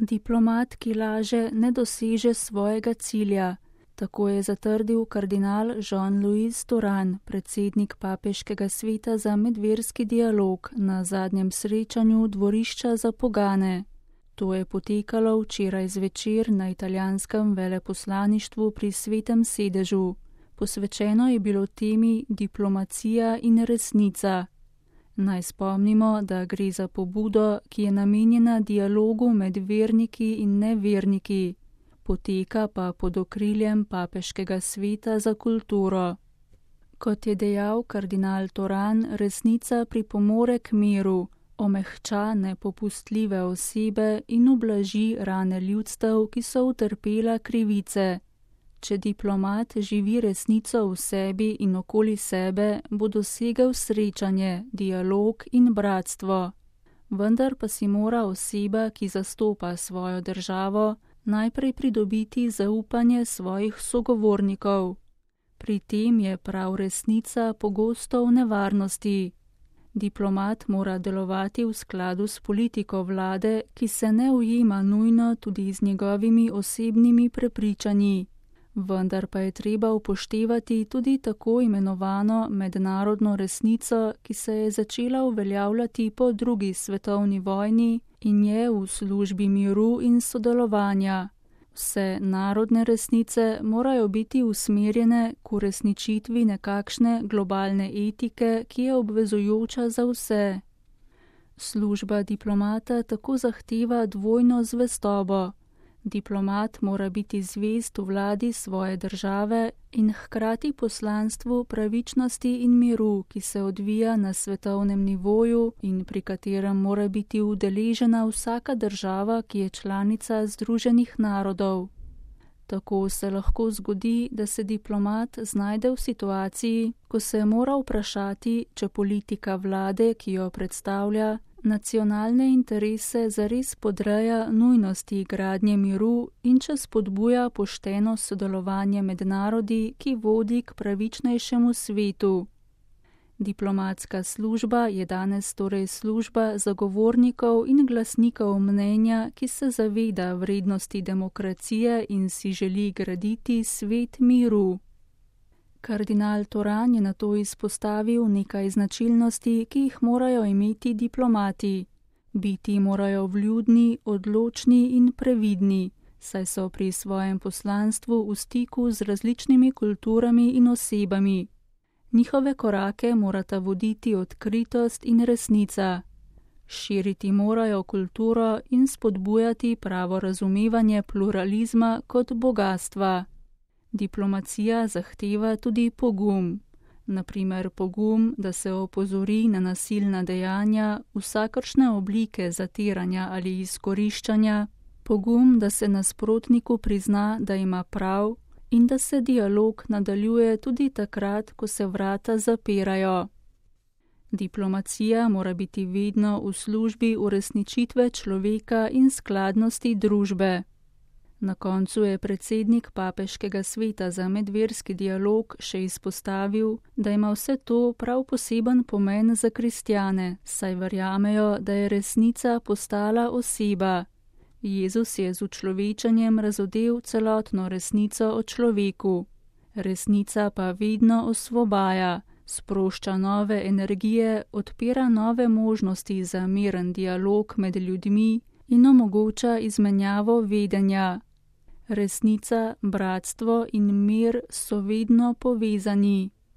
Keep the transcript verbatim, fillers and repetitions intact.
Diplomat, ki laže, ne doseže svojega cilja. Tako je zatrdil kardinal Jean-Louis Turhan, predsednik Papeškega sveta za medverski dialog na zadnjem srečanju dvorišča za pogane. To je potekalo včeraj zvečer na italijanskem veleposlaništvu pri Svetem sedežu. Posvečeno je bilo temi diplomacija in resnica. Naj spomnimo, da gre za pobudo, ki je namenjena dialogu med verniki in neverniki, poteka pa pod okriljem Papeškega sveta za kulturo. Kot je dejal kardinal Turhan, resnica pripomore k miru, omehča nepopustljive osebe in ublaži rane ljudstev, ki so utrpela krivice. Če diplomat živi resnico v sebi in okoli sebe, bo dosegel srečanje, dialog in bratstvo. Vendar pa si mora oseba, ki zastopa svojo državo, najprej pridobiti zaupanje svojih sogovornikov. Pri tem je prav resnica pogosto v nevarnosti. Diplomat mora delovati v skladu s politiko vlade, ki se ne ujema nujno tudi z njegovimi osebnimi prepričanji. Vendar pa je treba upoštevati tudi tako imenovano mednarodno resnico, ki se je začela uveljavljati po drugi svetovni vojni in je v službi miru in sodelovanja. Vse narodne resnice morajo biti usmerjene k uresničitvi nekakšne globalne etike, ki je obvezujoča za vse. Služba diplomata tako zahteva dvojno zvestobo. Diplomat mora biti zvest v vladi svoje države in hkrati poslanstvu pravičnosti in miru, ki se odvija na svetovnem nivoju in pri katerem mora biti udeležena vsaka država, ki je članica Združenih narodov. Tako se lahko zgodi, da se diplomat znajde v situaciji, ko se mora vprašati, če politika vlade, ki jo predstavlja, nacionalne interese zares podreja nujnosti gradnje miru in če spodbuja pošteno sodelovanje med narodi, ki vodi k pravičnejšemu svetu. Diplomatska služba je danes torej služba zagovornikov in glasnikov mnenja, ki se zaveda vrednosti demokracije in si želi graditi svet miru. Kardinal Turhan je nato izpostavil nekaj značilnosti, ki jih morajo imeti diplomati. Biti morajo vljudni, odločni in previdni, saj so pri svojem poslanstvu v stiku z različnimi kulturami in osebami. Njihove korake morata voditi odkritost in resnica. Širiti morajo kulturo in spodbujati pravo razumevanje pluralizma kot bogastva. Diplomacija zahteva tudi pogum, na primer pogum, da se opozori na nasilna dejanja, vsakršne oblike zatiranja ali izkoriščanja, pogum, da se nasprotniku prizna, da ima prav in da se dialog nadaljuje tudi takrat, ko se vrata zapirajo. Diplomacija mora biti vedno v službi uresničitve človeka in skladnosti družbe. Na koncu je predsednik Papeškega sveta za medverski dialog še izpostavil, da ima vse to prav poseben pomen za kristjane, saj verjamejo, da je resnica postala oseba. Jezus je z učlovečenjem razodel celotno resnico o človeku. Resnica pa vedno osvobaja, sprošča nove energije, odpira nove možnosti za miren dialog med ljudmi in omogoča izmenjavo vedenja. Resnica, bratstvo in mir so vedno povezani.